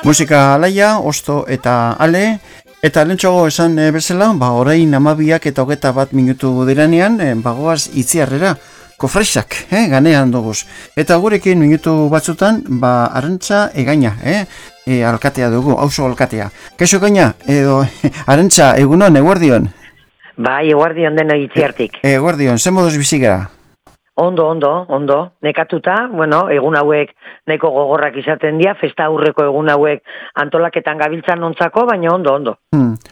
Musika alaia, osto eta ale, eta lentsoago esan bezala, orain 12:21 diranean, bagoaz Itziarrera, kofresak, ganean duguz. Eta gurekin minutu batzutan, Arantza Egaña, alkatea dugu, auzo alkatea. Kaixo Egaña, edo Arantza, egunon, eguerdion? Bai, eguerdion deno Itziartik. Eguerdion, zen moduz bizigara? Ondo. Nekatuta, egun hauek nahiko gogorrak izaten dira, festa aurreko egun hauek antolaketan gabiltzan nontzako, baina ondo.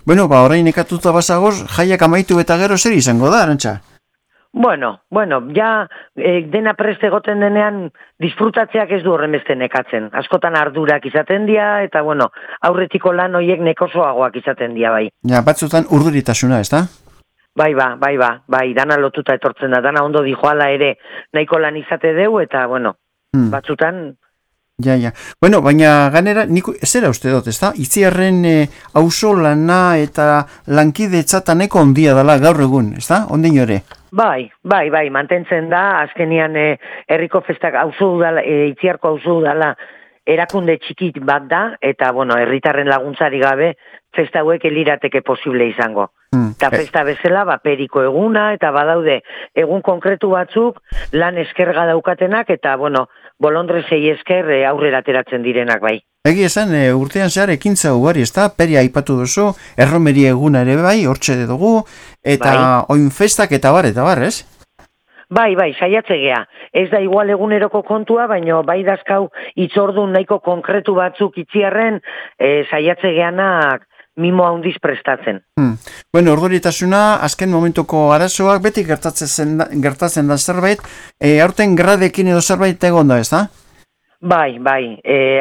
Orain nekatuta bazagoz, jaiak amaitu eta gero zer izango da, Arantza? Ja dena prest egoten denean disfrutatzeak ez du horren beste nekatzen. Askotan ardurak izaten dira, eta aurretiko lan horiek nekosoagoak izaten dira, bai. Ja, batzutan urduritasuna, ez da? Bai, dana lotuta etortzen da, dana ondo dijoala ere nahiko lan izate deu, eta, batzutan... Ja. Baina ganera, nik zera uste dut, ez da? Itziarren auzo lana eta lankidetzataneko ondia dela gaur egun, ez da? Ondin ore? Bai, mantentzen da, azkenian herriko festak auzo udala, Itziarko auzo udala erakunde txikit bat da, eta, herritarren laguntzari gabe, festa hauek elirateke posible izango. Eta festa bezala, periko eguna, eta badaude egun konkretu batzuk, lan eskerga daukatenak, eta, bolondrezei esker aurrera ateratzen direnak bai. Egi esan, urtean zehar ekintza ugari, ez da? Peria aipatu duzu, erromeri eguna ere bai, hortxe dugu, eta oin festak eta bar, ez? Bai, saiatze gea. Ez da igual eguneroko kontua, baina bai dazkau itzordun nahiko konkretu batzuk Itziarren saiatze geanak mimo handiz prestatzen. Orduritasuna, azken momentuko arazoak beti gertatzen da zerbait, aurten gradekin edo zerbait egon da, ez da? Bai,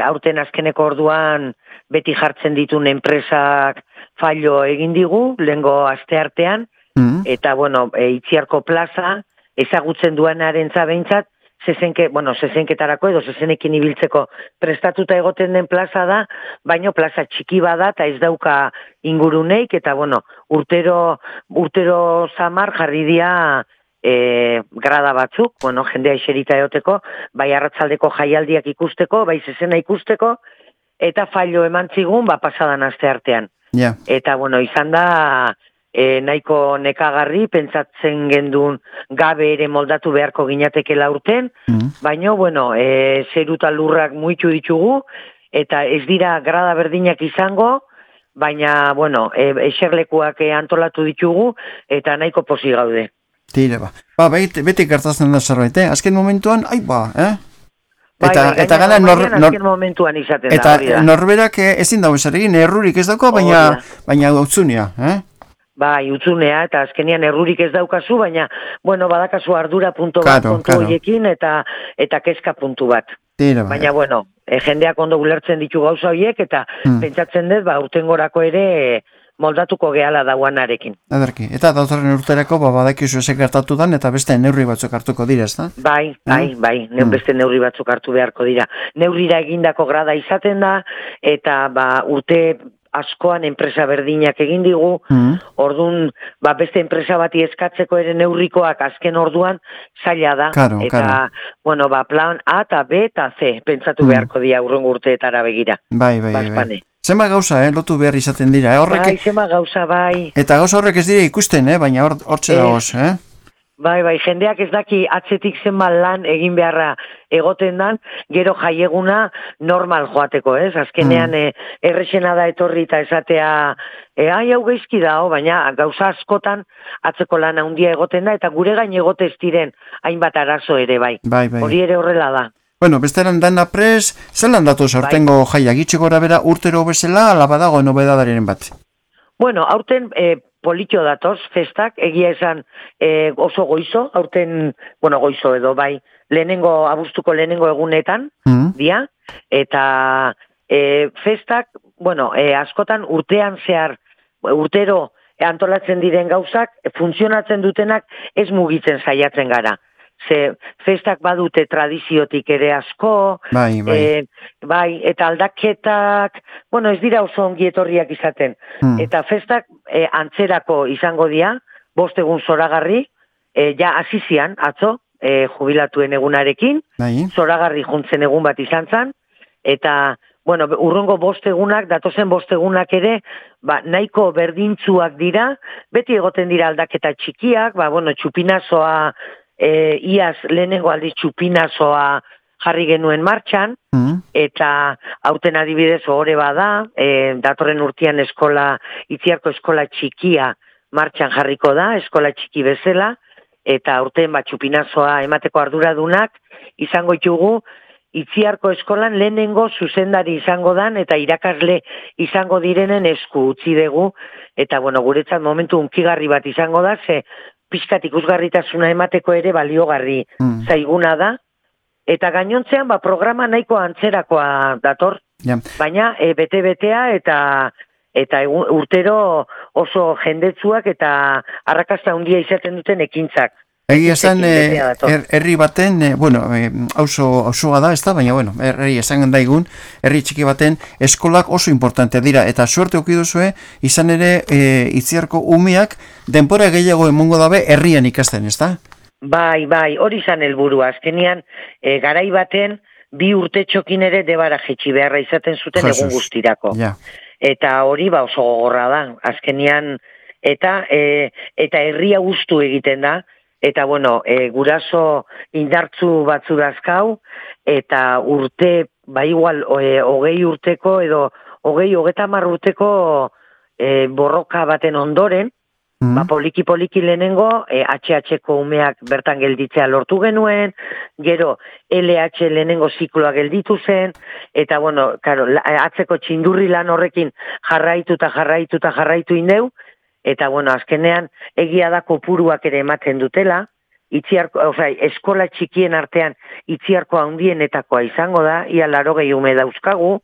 aurten azkeneko orduan beti jartzen ditun enpresak fallo egin digu, lehengo asteartean, eta, Itziarko plaza, ezagutzen duanaren zabeintzat, zezenketarako edo zezenekin ibiltzeko prestatuta egoten den plaza da, baino plaza txiki bada eta ez dauka inguruneik, eta urtero zamar jarri dira grada batzuk, jendea iserita egoteko, bai arratsaldeko jaialdiak ikusteko, bai zezena ikusteko, eta fallo eman zigun, pasadan asteartean. Yeah. Eta, izan da... nahiko nekagarri, pentsatzen gendun gabe ere moldatu beharko ginatekela urten, baina, zeruta lurrak muitu ditugu, eta ez dira grada berdinak izango, baina, eserlekuak antolatu ditugu, eta nahiko posi gaude. Tira, beti gertatzen da zerbait, azken momentuan, Eta gana momentuan izaten da. Eta norberak ezin dago esaregin, errurik ez dauko, baina utzunia, Bai, utzunea, eta azkenian errurik ez daukazu, baina, badakazu ardura puntu bat, kontu horiekin, eta kezka puntu bat. Baina, jendeak ondo ulertzen ditu gauza horiek, eta pentsatzen dut, urtengorako ere moldatuko gehala dauanarekin. Ederki, eta datorren urterako, badakizu ezek hartatu dan, eta beste neurri batzuk hartuko dira, ez da? Bai, beste neurri batzuk hartu beharko dira. Neurrira egindako grada izaten da, eta urte... askoan enpresa berdinak egin digu, orduan, beste enpresa bati eskatzeko ere neurrikoak azken orduan zaila da. Eta, plan A eta B eta C, pentsatu beharko dira urrengo urteetara begira. Bai. Zenba gauza, lotu behar izaten dira, Bai, zenba gauza, bai. Eta gauza horrek ez dira ikusten, baina hortxe dagoz, Bai, jendeak ez daki atzetik zenba lan egin beharra egoten dan, gero jaieguna normal joateko, ez? Azkenean errexena da etorri eta esatea, hau geizki da, baina gauza askotan atzeko lan handia egoten da, eta gure gain egotez diren hainbat arazo ere, bai. Hori ere horrela da. Besteran dana prez, zelan datu sortengo jaiak itxeko bera urtero bezala, ala badago nobedadaren bat? Aurten... Politxo datoz, festak, egia esan oso goizo, aurten, goizo edo, abuztuko lehenengo egunetan, dia, eta festak, askotan urtean zehar, urtero antolatzen diren gauzak, funtzionatzen dutenak ez mugitzen saiatzen gara. ze festak badute tradiziotik ere asko, bai, eta aldaketak, bueno, ez dira oso ongi etorriak izaten. Eta festak antzerako izango dira, 5 egun zoragarri, ja hasizian atzo, jubilatuen egunarekin, zoragarri juntzen egun bat izan zen, eta, bueno, urrongo 5 egunak, datozen 5 egunak ere, nahiko berdintzuak dira, beti egoten dira aldaketa txikiak, bueno, txupinazoa, iaz lehenengo aldiz txupinazoa jarri genuen martxan, eta aurten adibidez ohore bada, datorren urtean Itziarko eskola txikia martxan jarriko da, eskola txiki bezala, eta aurten txupinazoa emateko arduradunak izango ditugu Itziarko eskolan lehenengo zuzendari izango dan eta irakasle izango direnen esku utzi dugu, eta bueno, guretzat momentu unkigarri bat izango da, ze pixkat ikusgarritasuna emateko ere baliogarri zaiguna da, eta gainontzean programa nahiko antzerakoa dator, baina bete-betea eta urtero oso jendetsuak eta arrakasta handia izaten duten ekintzak. Egia esan, herri baten, bueno, auzoa da, ez da, baina, bueno, herri esan daigun, herri txiki baten eskolak oso importantea dira, eta suerte okiduzue, izan ere, Itziarko umeak denbora gehiago emongo dabe herrian ikasten, ez da? Bai, hori izan helburua. Azkenian, garai baten, 2 urte txokin ere debara jetxi beharra izaten zuten egun guztirako. Eta hori oso gogorra da. Azkenian, eta herria guztu egiten da, eta bueno, guraso indartzu batzu dazkau, eta urte, igual, 20 urteko edo 20-30 urteko borroka baten ondoren, poliki lehenengo, HH-ko umeak bertan gelditzea lortu genuen, gero LH lehenengo zikloa gelditu zen, eta bueno, claro, atzeko txindurri lan horrekin jarraitu indeu, eta bueno, azkenean egia da kopuruak ere ematen dutela, eskola txikien artean Itziarko handienetakoa izango da, ia 80 ume dauzkagu,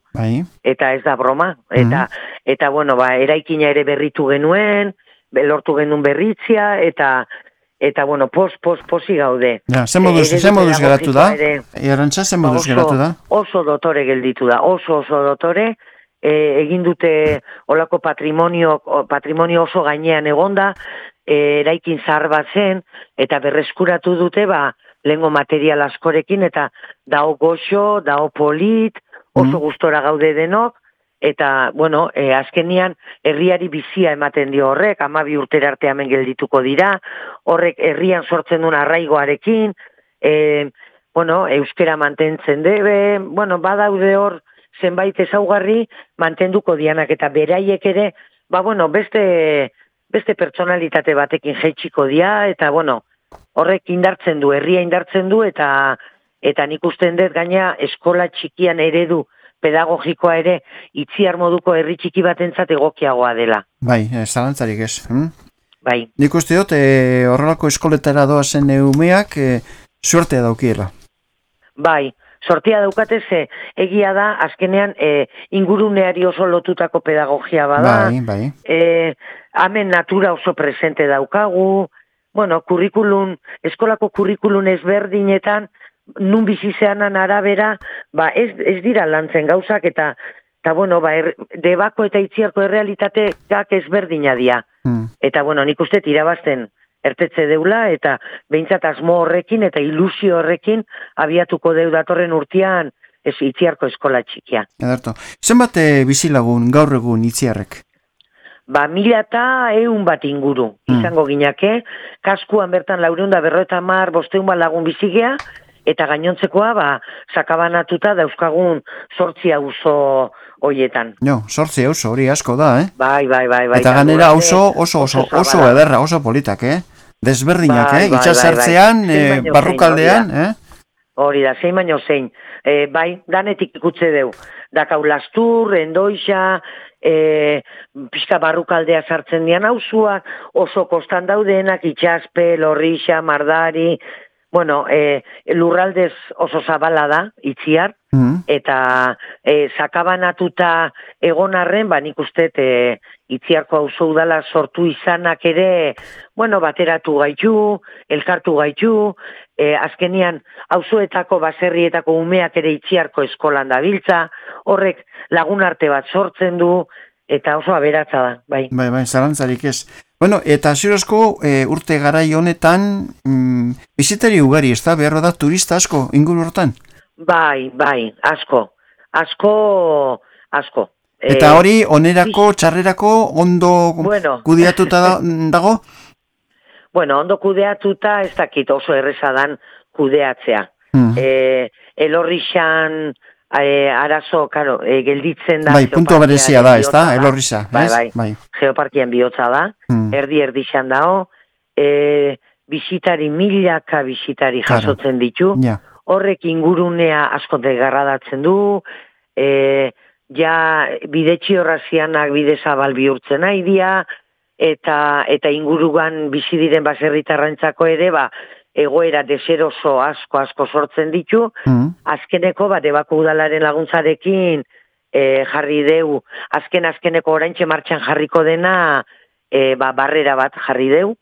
eta ez da broma, eta bueno, eraikina ere berritu genuen, lortu genuen berritzia, eta bueno, posi gaude. Zer moduz geratu da? Arantxa, zer moduz geratu da? Oso dotore gelditu da, oso dotore, egin dute olako patrimonio oso gainean egonda, eraikin zahar bat zen, eta berreskuratu dute, lehengo material askorekin, eta dao goxo, dao polit, oso gustora gaude denok, eta, bueno, azkenian herriari bizia ematen dio horrek, 12 urtera arte hemen geldituko dira, horrek herrian sortzen duen arraigoarekin, bueno, euskera mantentzen debe, bueno, badaude hor, zenbait ezaugarri mantenduko dianak eta beraiek ere, bueno, beste pertsonalitate batekin jaitsiko dia, eta bueno, horrek indartzen du, herria indartzen du, eta nik usten dut gaina eskola txikian eredu pedagogikoa ere Itziar moduko herri txiki batentzat egokiagoa dela. Bai, zalantzarik ez. Bai. Nik uste dut, horrelako eskoletara doazen umeak, suertea daukiela. Bai, sortia daukatez, egia da, azkenean inguruneari oso lotutako pedagogia bada. Bai. Hemen natura oso presente daukagu, bueno, eskolako kurrikulun ezberdinetan, nun bizizeanan arabera, ez dira lantzen gauzak, eta bueno, Debako eta Itziarko errealitateak ezberdina dira. Eta bueno, nik uste irabazten ertetze deula, eta behintzat asmo horrekin eta ilusio horrekin abiatuko deu datorren urtean Itziarko eskola txikia. Ederto. Zenbat bizilagun gaur egun Itziarrek? 1.100 bat inguru izango ginake, kaskuan bertan 450, 500 lagun bizigea, eta gainontzekoa, sakabanatuta dauzkagun 8 auzo hoietan. 8 auzo, hori asko da, Bai. Eta ganera auzo oso ederra, oso politak, Desberdinak, itxasartzean, barrukaldean, Hori da, zein baino zein. Bai, danetik ikutze deu. Dakau Lastur, Endoixa, pixka barrukaldea sartzen dian auzuak, oso kostan daudenak, Itxaspe, Lorrixa, Mardari, bueno, lurraldez oso zabala da, Itziar, eta sakabanatuta egon arren, nik uste Itziarko auzo udala sortu izanak ere, bueno, bateratu gaitu, elkartu gaitu, azkenian auzoetako baserrietako umeak ere Itziarko eskolan dabiltza, horrek lagun arte bat sortzen du, eta oso aberatza da, bai. Bai, zalantzarik ez. Bueno, eta zirozko urte garai honetan bizitari ugari, ez da? Beharro da turista asko, inguru hortan? Bai, asko. Eta hori, onerako, txarrerako, ondo kudeatuta dago? Bueno, ondo kudeatuta ez dakit oso errezadan kudeatzea. Elorrixan arazo, karo, gelditzen da. Bai, puntu berezia da, ez da, Elorrixa. Bai. Geoparkian bihotza da, erdi-erdixan dago, bisitari, milaka bisitari jasotzen ditu, horrek ingurunea asko degarradatzen du, bidetxi horrazianak bide zabal bihurtzen nahi dia, eta inguruan bizi diren baserritarrentzako ere, egoera deseroso asko sortzen ditu, azkeneko Debako udalaren laguntzarekin jarri deu, azkeneko oraintxe martxan jarriko dena barrera bat jarri deu,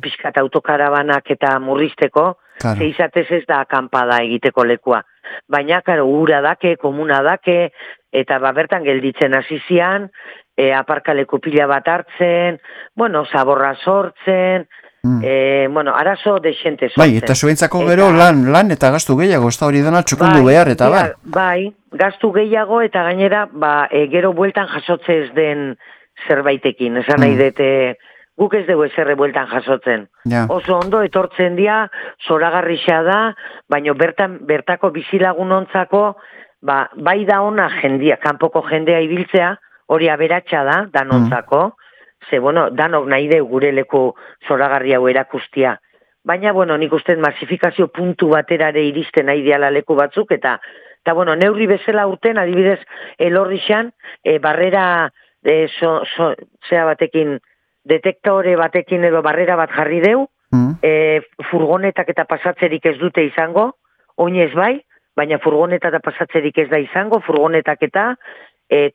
pixkat autokarabanak eta murrizteko, zeizatez ez da akampada egiteko lekua. Baina, karo, ura dake, komuna dake, eta bertan gelditzen hasizian, aparkaleku pila bat hartzen, bueno, zaborra sortzen, bueno, arazo desente sortzen. Bai, eta zuentzako gero lan eta gastu gehiago, ez da hori dena txukundu behar, eta bai. Bai, gastu gehiago, eta gainera, gero bueltan jasotze ez den zerbaitekin, esan nahi dute, guk ez dugu ezerre bueltan jasotzen. Oso ondo etortzen dia, zoragarrixa da, baina bertako bizilagunontzako, bai da ona jendia, kanpoko jendea ibiltzea, hori aberatsa da, danontzako, ze, bueno, danok nahi deu gure leku zoragarri hau erakustia. Baina, bueno, nik uste masifikazio puntu baterare iristen nahi diala leku batzuk, eta bueno, neurri bezala urten, adibidez, Elorrixan, barrera, zea batekin, detektore batekin edo barrera bat jarri deu, furgonetak eta pasatzerik ez dute izango, oinez bai, baina furgoneta eta pasatzerik ez da izango, furgonetak eta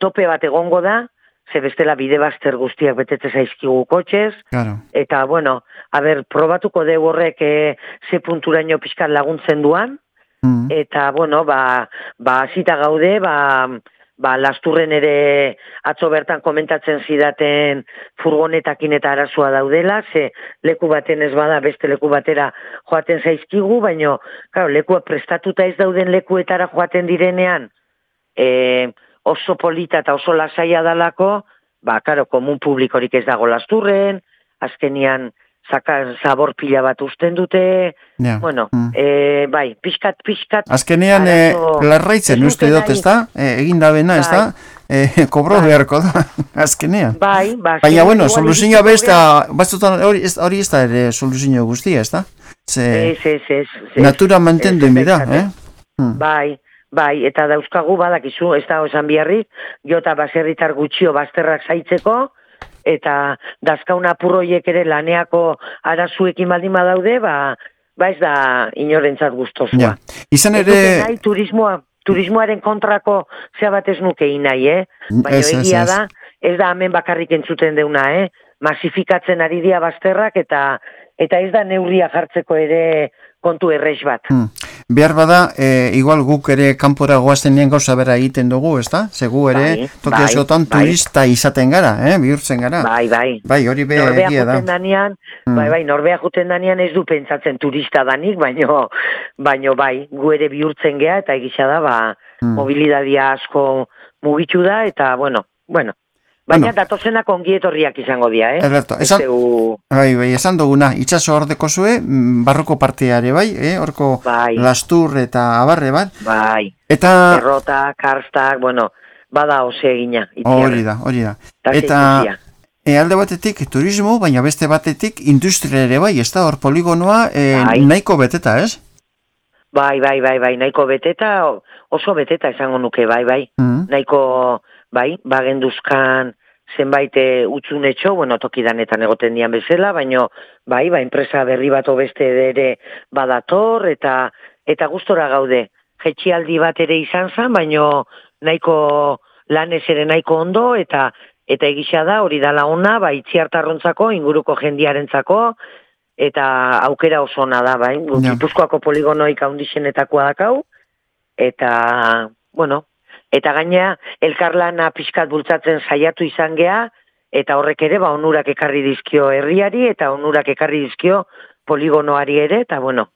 tope bat egongo da, ze bestela bide bazter guztiak betete zaizkigu kotxez, eta, bueno, probatuko deu horrek ze punturaino pixkat laguntzen duan, eta, bueno, azita gaude, Lasturren ere atzo bertan komentatzen zidaten furgonetakin eta arazoa daudela, ze leku baten ez bada beste leku batera joaten zaizkigu, baina lekua prestatuta ez dauden lekuetara joaten direnean oso polita eta oso lasaia dalako, komun publikorik ez dago Lasturren, azkenian zabor pila bat usten dute, bueno, bai, pixkat. Azkenean, larraitzen uste dut, ez da? Egin da bena, ez da? Kobro beharko da, azkenean. Bai. Baina, bueno, soluzioa besta, hori ez da ere soluzio guztia, ez da? Natura mantendu inbida, Bai, eta dauzkagu badakizu, ez da osan biharri, jota baserritar gutxio bazterrak zaitzeko, eta dazkaun apurroiek ere laneako arazuekin baldin badaude, ez da inorentzat gustozua. Izan ere... Turismoaren kontrako zea bat ez nukein nahi, baina egia da, ez da hemen bakarrik entzuten deuna, masifikatzen ari dia bazterrak, eta ez da neurria jartzeko ere kontu errex bat. Behar bada, igual guk ere kanpora goaztenean gauza bera egiten dugu, ez da? Segu ere, toki askotan turista izaten gara, bihurtzen gara. Bai, hori egia da. Norbea juten danean ez du pentsatzen turista danik, baino bai, gu ere bihurtzen gea, eta egisa da, mobilidadia asko mugitu da, eta bueno. Baina datozenak ongietorriak izango dira, esan duguna, itxaso hordeko zue, barroko parteare, horko Lastur eta abarre bat. Eta... Errota, karstak, bada ose egina. Hori da. Eta alde batetik turismo, baina beste batetik industria ere ez da, hor poligonoa nahiko beteta, ez? Bai, nahiko beteta, oso beteta esango nuke, nahiko... bagenduzkan zenbait utxunetxo, bueno, tokidanetan egoten dian bezala, baino, bai, enpresa berri bat beste ere badator, eta gustora gaude. Jetxialdi bat ere izan zen, baino nahiko lanez ere nahiko ondo, eta egisa da, hori dala ona, Itziartarrontzako, inguruko jendiarentzako, eta aukera oso ona da, bai. Gipuzkoako poligonoik handixenetakoa dakau, eta, bueno, eta gaina elkarlana pixkat bultzatzen saiatu izan gea, eta horrek ere onurak ekarri dizkio herriari, eta onurak ekarri dizkio poligonoari ere, eta bueno,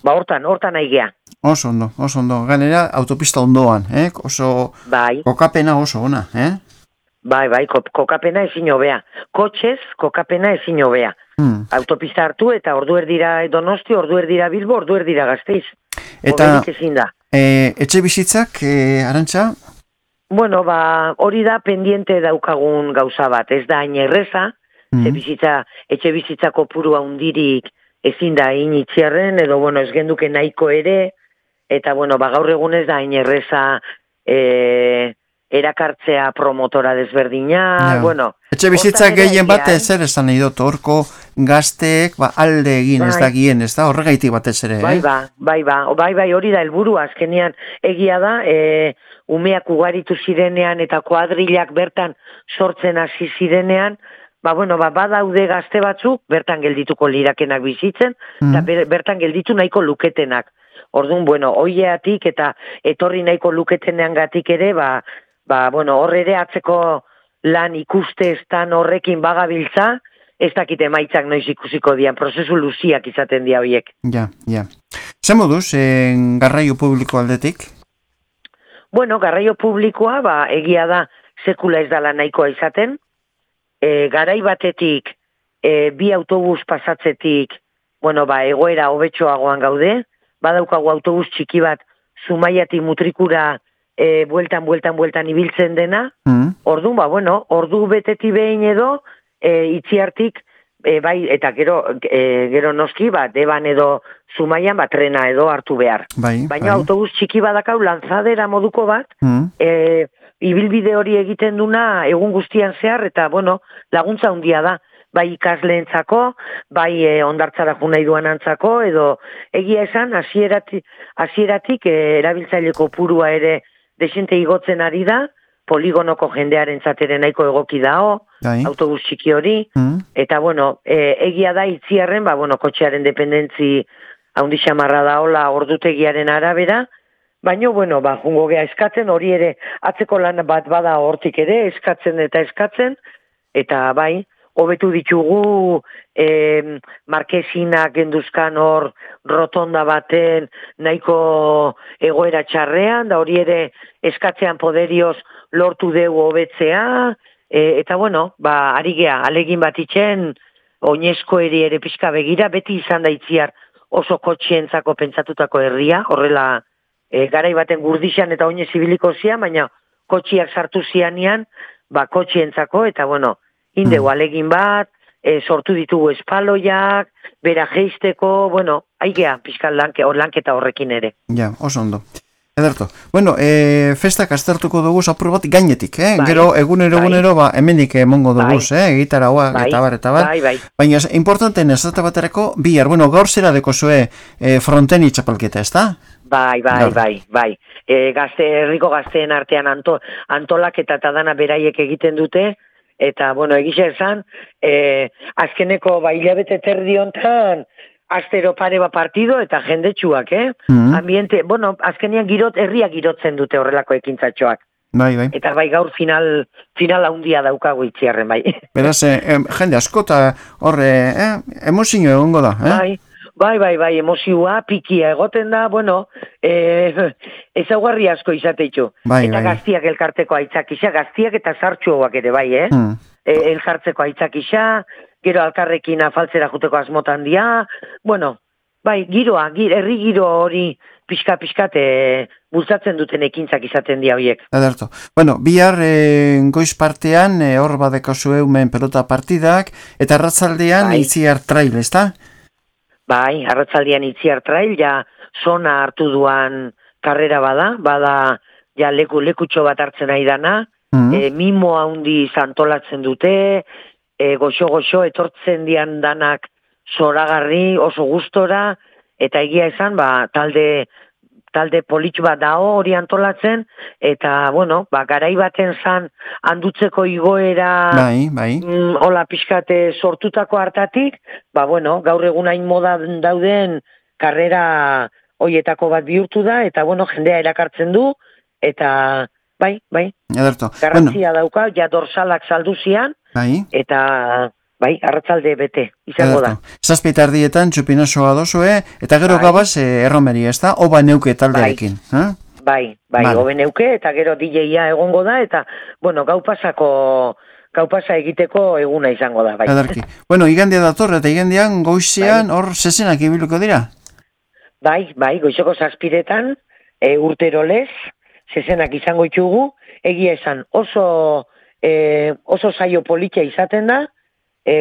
hortan nahi gea. Oso ondo. Gainera, autopista ondoan, oso kokapena oso ona, Bai, kokapena ezin hobea. Kotxez, kokapena ezin hobea. Autopista hartu eta ordu erdira Donosti, ordu erdira Bilbo, ordu erdira Gasteiz. Eta etxe bizitzak, Arantxa? Bueno, hori da pendiente daukagun gauza bat. Ez da hain erreza, etxe bizitzako purua hundirik ezin da hain Itziarren, edo bueno, ez genduke nahiko ere, eta bueno, gaur egun ez da hain erreza erakartzea promotora desberdina, bueno. Etxe bizitzak gehien bat zer esan nahi dut, horko gazteek alde egin ez da gien, ez da horregaitik batez ere, Bai, hori da helburua azkenean egia da, umeak ugaritu zirenean eta kuadrilak bertan sortzen hasi zirenean, badaude gazte batzuk, bertan geldituko lirakenak bizitzen, eta bertan gelditu nahiko luketenak. Orduan, hoiatik eta etorri nahiko luketenean gatik ere, hor ere atzeko lan ikuste estan horrekin bagabiltza, ez dakit emaitzak noiz ikusiko dian, prozesu luziak izaten dia horiek. Ja. Zer moduz, garraio publiko aldetik? Bueno, garraio publikoa, egia da, sekula ez dala nahikoa izaten, garai batetik, bi autobus pasatzetik, egoera hobetxoagoan gaude, badaukagu autobus txiki bat, Zumaiatik Mutrikura bueltan ibiltzen dena, orduan, ordu beteti behin edo, Itziartik, eta gero noski, Deban edo Zumaian, trena edo hartu behar. Baina autobus txiki badakau, lanzadera moduko bat, ibilbide hori egiten duna egun guztian zehar, eta, laguntza handia da. Bai ikasleentzako, bai ondartzara junai duan antzako, edo egia esan, hasieratik erabiltzaileko purua ere desente igotzen ari da, poligonoko jendearen zateren nahiko egoki dao, autobus txiki hori, eta egia da Itziarren, kotxearen dependentzi haundi xamarra daola ordutegiaren arabera, baina, jungo gea eskatzen, hori ere atzeko lan bat bada hortik ere, eskatzen, eta hobetu ditugu markesinak genduzkan hor rotonda baten nahiko egoera txarrean, da hori ere eskatzean poderioz lortu dugu hobetzea, eta ari gea, alegin bat itxen, oinezko ere pixka begira, beti izan da Itziar oso kotxientzako pentsatutako herria, horrela garai baten gurdixan eta oinez ibiliko zian, baina kotxiak sartu zianian, kotxientzako, eta indegu alegin bat, sortu ditugu espaloiak, bera geisteko, aigea pixkan lanketa horrekin ere. Ja, oso ondo. Ederto. Festak aztertuko dugu apur bat gainetik, gero egunero, hemendik emongo dugu, gitarauak, eta bar. Baina, importanten ez dut baterako, bihar, gaur zera deko zue fronteni txapalketa, ez da? Bai. Herriko gazteen artean antolaketa eta dana beraiek egiten dute, eta, egisa esan, azkeneko hilabete terdi hontan, astero pare partido eta jendetsuak, Ambiente, azkenean herria girotzen dute horrelako ekintzatxoak. Bai. Eta gaur final handia daukagu Itziarren, bai. Beraz, jende asko eta horre, emozio egongo da, Bai, emozioa, pikia egoten da, ezaugarri asko izateitu. Eta gaztiak elkarteko aitzakisa, gaztiak eta sartxuak ere, bai, elkartzeko aitzakisa, gero alkarrekin afaltzera juteko asmotan dia, giroa, herri giro hori pixka-pixkat bultzatzen duten ekintzak izaten dia horiek. Ederto. Bihar goiz partean, hor badeko zueumen pelota partidak, eta arratzaldean Itziar trail, ez da? Bai, arratzaldean Itziar trail, zona hartu duan karrera bada, ja lekutxo bat hartzen nahi dana, mimo handi antolatzen dute, goxo-goxo etortzen dian danak zoragarri, oso gustora, eta egia esan, talde politxu bat dao hori antolatzen, eta, bueno, garai baten zan handutzeko igoera hola pixkate sortutako hartatik, bueno, gaur egun hain moda dauden karrera hoietako bat bihurtu da, eta, bueno, jendea erakartzen du, eta, bai, garrantzia dauka, ja dorsalak salduzian, eta... Bai, arratzalde bete, izango da. Zazpita ardietan txupinasoa dozue, eta gero gabaz erromeri, ez da? Oba neuke taldearekin. Bai, oba neuke, eta gero DJ-a egongo da, eta, bueno, gau pasa egiteko eguna izango da, bai. Adarki. Bueno, igandia dator, eta igandian goizean hor zezenak ibiluko dira? Bai, goizeko zazpiretan, urtero lez, zezenak izango ditugu, egia esan oso saio politia izaten da,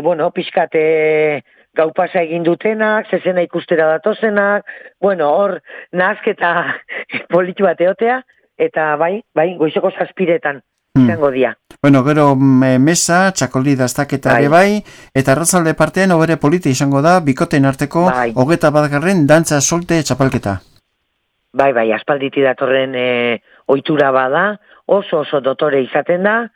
bueno, pixkate gau pasa egin dutenak, zezena ikustera datozenak, bueno, hor nahazketa politu bat eotea, eta bai, goizeko zazpiretan izango dia. Bueno, gero mesa, txakoldi daztaketa ere bai, eta arratzalde partean obere politi izango da, bikoten arteko, 21. dantza solte txapalketa. Bai, aspalditi datorren ohitura bada, oso dotore izaten da,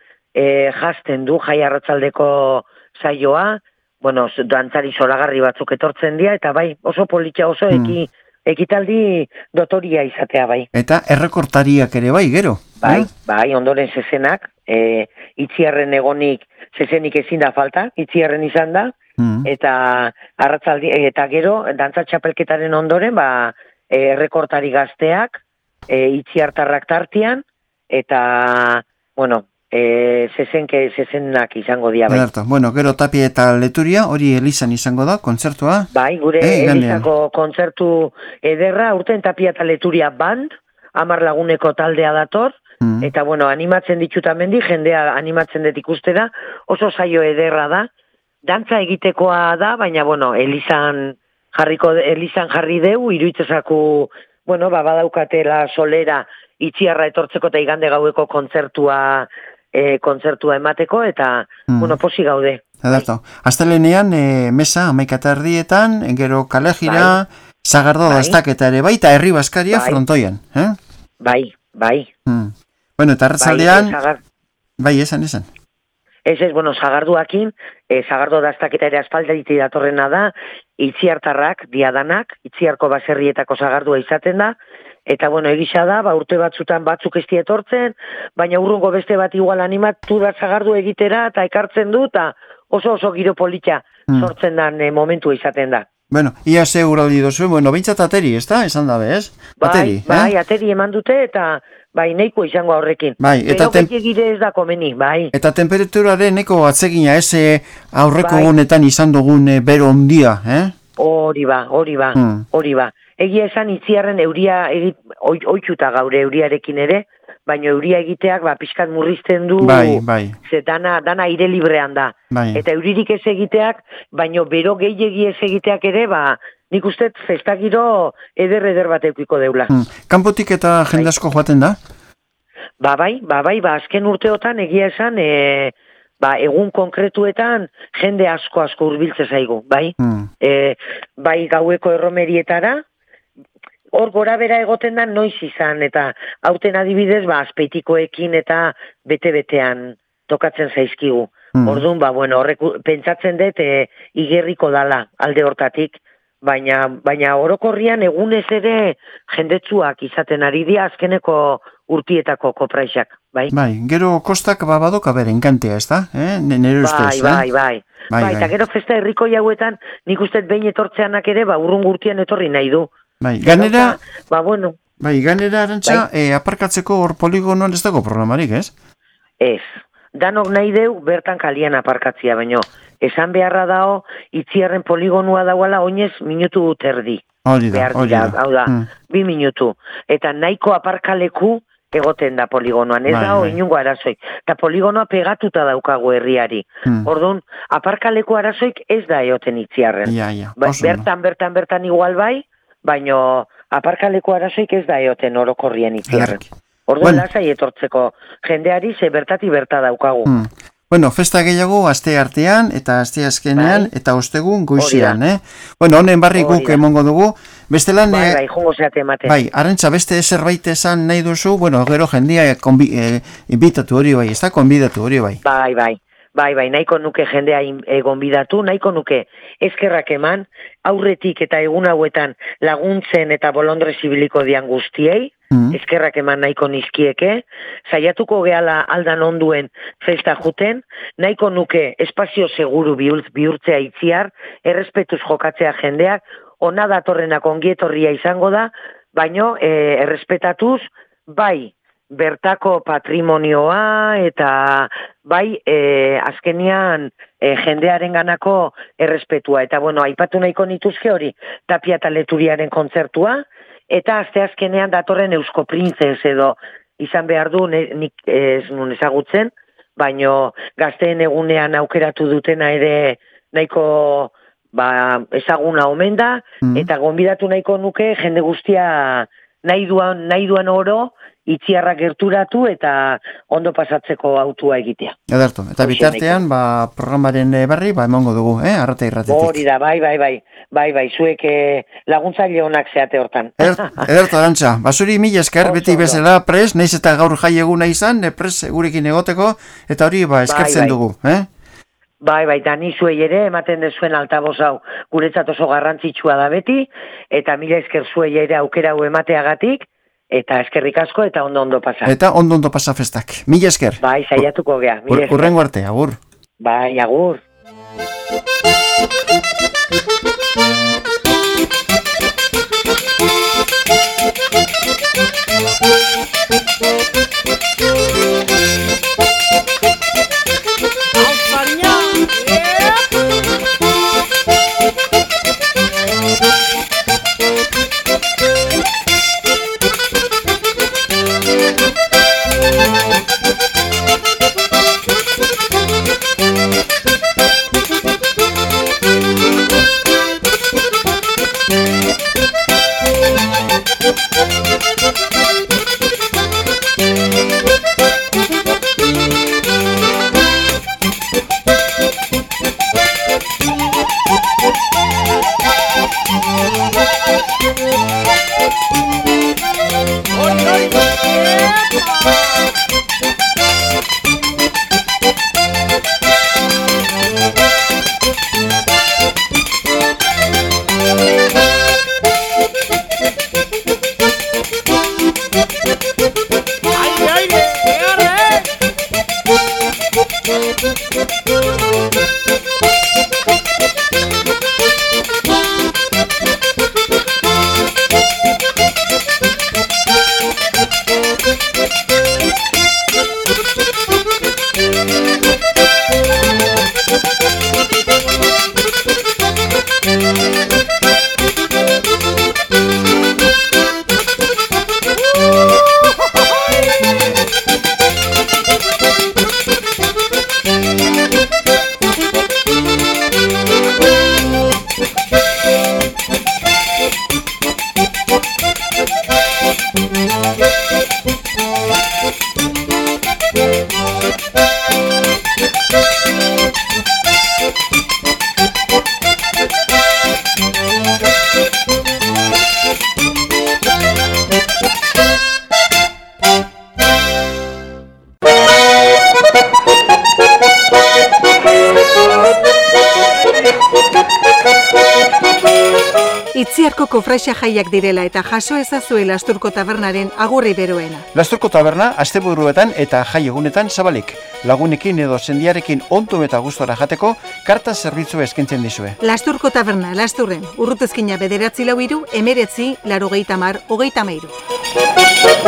jazten du jai arratzaldeko saioa, bueno, dantzari zoragarri batzuk etortzen dira, eta bai, oso politxa, oso ekitaldi dotoria izatea, bai. Eta errekortariak ere bai, gero? Bai, ondoren zezenak, itziarren egonik, zezenik ezin da falta, itziarren izan da, eta arratzaldi, eta gero, dantza txapelketaren ondoren, errekortari gazteak, itziartarrak tartian, eta, bueno, zezenak izango dia, bai. Bueno, gero Tapia eta Leturia, hori Elizan izango da, kontzertua? Bai, gure Elizako kontzertu ederra, urten Tapia eta Leturia band, 10 laguneko taldea dator, eta, bueno, animatzen ditutamendi, jendea animatzen dut ikustera, oso saio ederra da, dantza egitekoa da, baina, bueno, Elizan jarri deu, iruitzezaku, bueno, badaukatela solera itziarra etortzeko eta igande gaueko kontzertua emateko, eta, bueno, posi gaude. Astelenean, mesa, 11:00, gero kalejira, Sagardo daztaketa ere, eta herri baskaria frontoian. Bai. Bueno, eta arratzaldean, esan. Bueno, Sagarduakin, Sagardo daztaketa ere aspalditi datorrena da, itziartarrak, diadanak, itziarko baserrietako Sagardua izaten da, eta, bueno, egisa da, urte batzutan batzuk ez etortzen, baina urrungo beste bat igual animatu da Sagardu egitera, eta ekartzen du, eta oso giro politxa sortzen dan momentua izaten da. Bueno, ia ze uraldi dozu, bueno, bintzat ateri, ez da? Esan dabe, ez? Bai, ateri eman dute, eta bai, neiko izango horrekin. Pero gehiagire ez da komeni, bai. Eta temperaturaren neko atzegina ez aurreko gunetan izan dugun bero ondia, Hori ba. Egia esan itziarren euria oitxuta gaure euriarekin ere, baina euria egiteak pixkat murrizten du, ze dana aire librean da. Eta euririk ez egiteak, baina bero gehiagi ez egiteak ere, nik uste festakiro eder bat eukiko deula. Kanpotik eta jende asko joaten da? Bai, azken urteotan egia esan, egun konkretuetan jende asko hurbiltze zaigu, bai? Bai gaueko erromerietara, hor gora bera egoten da noiz izan, eta hauten adibidez, azpeitikoekin eta bete-betean tokatzen zaizkigu. Orduan, horrek pentsatzen dut igerriko dala alde hortatik, baina orokorrian egunez ere jendetsuak izaten ari dira azkeneko urtietako kopraisak, bai? Gero kostak badoka bere enkantea, ez da? Nere ustez, Bai, eta gero festa herriko jauetan nik uste behin etortzeanak ere, urrun gurtian etorri nahi du. Ganera, arantxa, aparkatzeko hor poligonoan ez dago programarik, ez? Ez, danok nahi deu bertan kalian aparkatzia, baino, esan beharra dao, itziarren poligonua dauala oinez minutu terdi. Hori da. Hau da, 2 minutu. Eta nahiko aparkaleku egoten da poligonoan, ez da inungo arazoik. Eta poligonoa pegatuta daukagu herriari. Orduan, aparkaleku arazoik ez da egoten itziarren. Bertan igual bai, baino aparkaleko arazoik ez da eoten orokorrien itziarren. Orduan lasai etortzeko jendeari ze bertati berta daukagu. Bueno, festa gehiago aste artean eta aste azkenean eta ostegun goizean, Bueno, honen barri guk emongo dugu. Bestelan jongo zeate ematen. Bai, Arantxa, beste zerbait esan nahi duzu, bueno, gero jendia inbitatu hori bai, ez da, konbidatu hori bai. Bai, nahiko nuke jendea gonbidatu, nahiko nuke eskerrak eman, aurretik eta egun hauetan laguntzen eta bolondre zibiliko dian guztiei, eskerrak eman nahiko nizkieke, saiatuko gehala aldan onduen festa juten, nahiko nuke espazio seguru bihurtzea itziar, errespetuz jokatzea jendeak, ona datorrenak ongietorria izango da, baino errespetatuz, bai, bertako patrimonioa eta bai azkenian jendearen ganako errespetua. Eta bueno, aipatu nahiko nituzke hori Tapia eta Leturiaren kontzertua, eta aste azkenean datorren Eusko Printzes edo izan behar du nik ez nun ezagutzen, baino gazteen egunean aukeratu dutena ere nahiko ezaguna omen da, eta gonbidatu nahiko nuke jende guztia nahi duan oro itziarra gerturatu eta ondo pasatzeko autua egitea. Ederto, eta bitartean, programaren berri, emongo dugu, Arrata Irratetik. Hori da, bai, zuek laguntzaile honak zeate hortan. Ederto, Arantxa, basuri mila esker, beti bezala pres, naiz eta gaur jai eguna izan, pres gurekin egoteko, eta hori eskertzen dugu, Bai, da ni zuei ere ematen dezuen altaboz hau guretzat oso garrantzitsua da beti, eta mila esker zuei ere aukera hau emateagatik, eta eskerrik asko eta ondo pasa. Eta ondo pasa festak. Mila esker. Bai, saiatuko gea. Urrengo arte, agur. Bai, agur. Itziarko kofrasia jaiak direla eta jaso ezazue Lasturko Tabernaren agurri beroena. Lasturko Taberna asteburuetan eta jai egunetan zabalik. Lagunekin edo sendiarekin ontu eta gustora jateko karta zerbitzu eskaintzen dizue. Lasturko Taberna, Lasturren, Urrutezkina 943 19 80 33.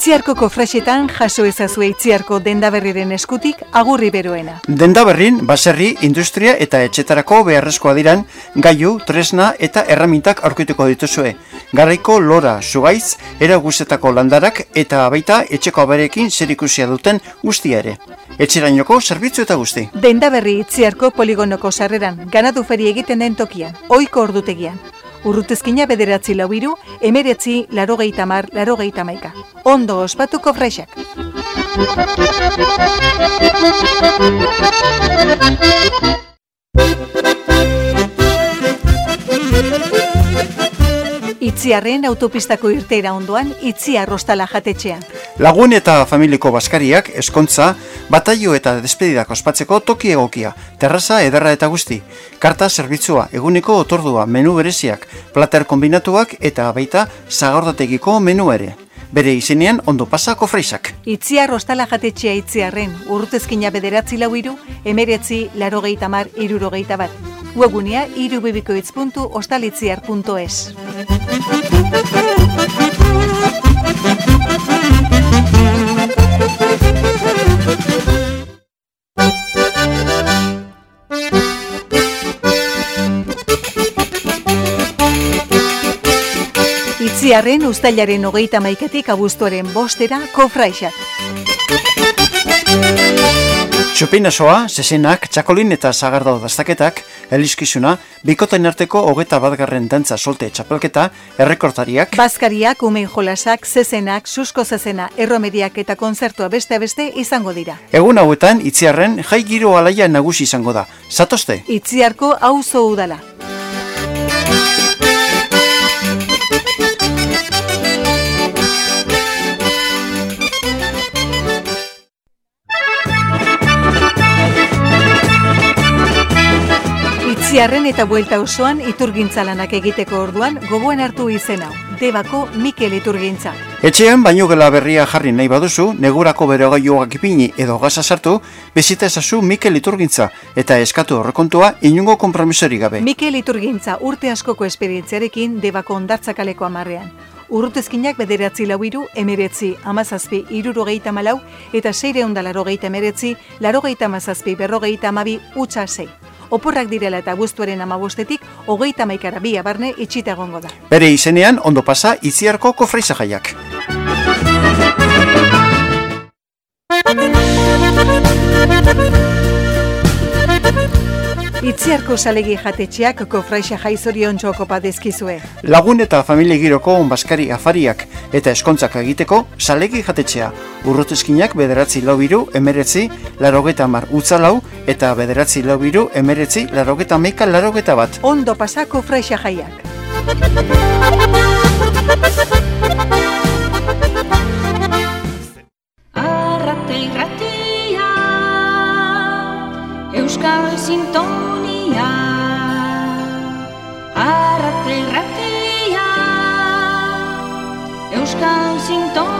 Itziarko kofraxetan jaso ezazue Itziarko dendaberriren eskutik agurri beroena. Dendaberrin, baserri, industria eta etxetarako beharrezkoa diran gailu, tresna eta erramintak aurkituko dituzue. Garaiko lora, zugaiz, eraguzetako landarak eta baita etxeko aberekin zerikusia duten guztia ere. Etxerainoko zerbitzu eta guzti. Dendaberri Itziarko poligonoko sarreran, ganadu feri egiten den tokian, ohiko ordutegian. Urrutezkina 9 19 80 81. Ondo ospatu kofraixak. Itziarren autopistako irteera ondoan Itziar Ostala jatetxean. Lagun eta familiko baskariak, eskontza, bataio eta despedidak ospatzeko toki egokia, terraza ederra eta guzti, karta zerbitzua, eguneko otordua, menu bereziak, plater kombinatuak eta baita zagordategiko menu ere. Bere izenean ondo pasa kofraixak. Itziar Ostala jatetxea Itziarren, urrutezkina 9 19 80 61. Webgunea www.ostalitziar.es. Itziarren uztailaren 31 abuztuaren 5 kofraixak. Txupinasoa, zezenak, txakolin eta zagardau daztaketak, eliskizuna, bikotain arteko 21. dantza solte txapelketa, errekortariak, Baskariak, umen jolasak, zezenak, susko zezena, erromeriak eta konzertua beste izango dira. Egun hauetan, Itziarren jai giro alaia nagusi izango da. Zatozte? Itziarko auzo udala. Itziarren eta buelta osoan iturgintza lanak egiteko orduan gogoan hartu izena, Debako Mikel Iturgintza. Etxean baino gela berria jarri nahi baduzu, negurako berogailuak ipini edo gaza sartu, bizita ezazu Mikel Iturgintza eta eskatu horrekontua inungo konpromisori gabe. Mikel Iturgintza urte askoko esperientziarekin Debako Ondartzakaleko 10ean. Urrutezkinak 9 19 17 64 eta 689 97 52 utxa 6. Oporrak direla eta abuztuaren 15etik 31 bia barne itxita egongo da. Bere izenean ondo pasa Itziarko kofraixa jaiak. Itziarko salegi jatetxeak kofraixa jai zoriontxo kopa dezkizue. Lagun eta familia giroko onbaskari afariak eta eskontzak egiteko salegi jatetxea. Urrutezkinak 9 4 19 80 utzalau eta 9 4 19 81 81. Ondo pasa kofraixa jaiak. Euskal Sintonia Arrate Ratia Euskal Sintonia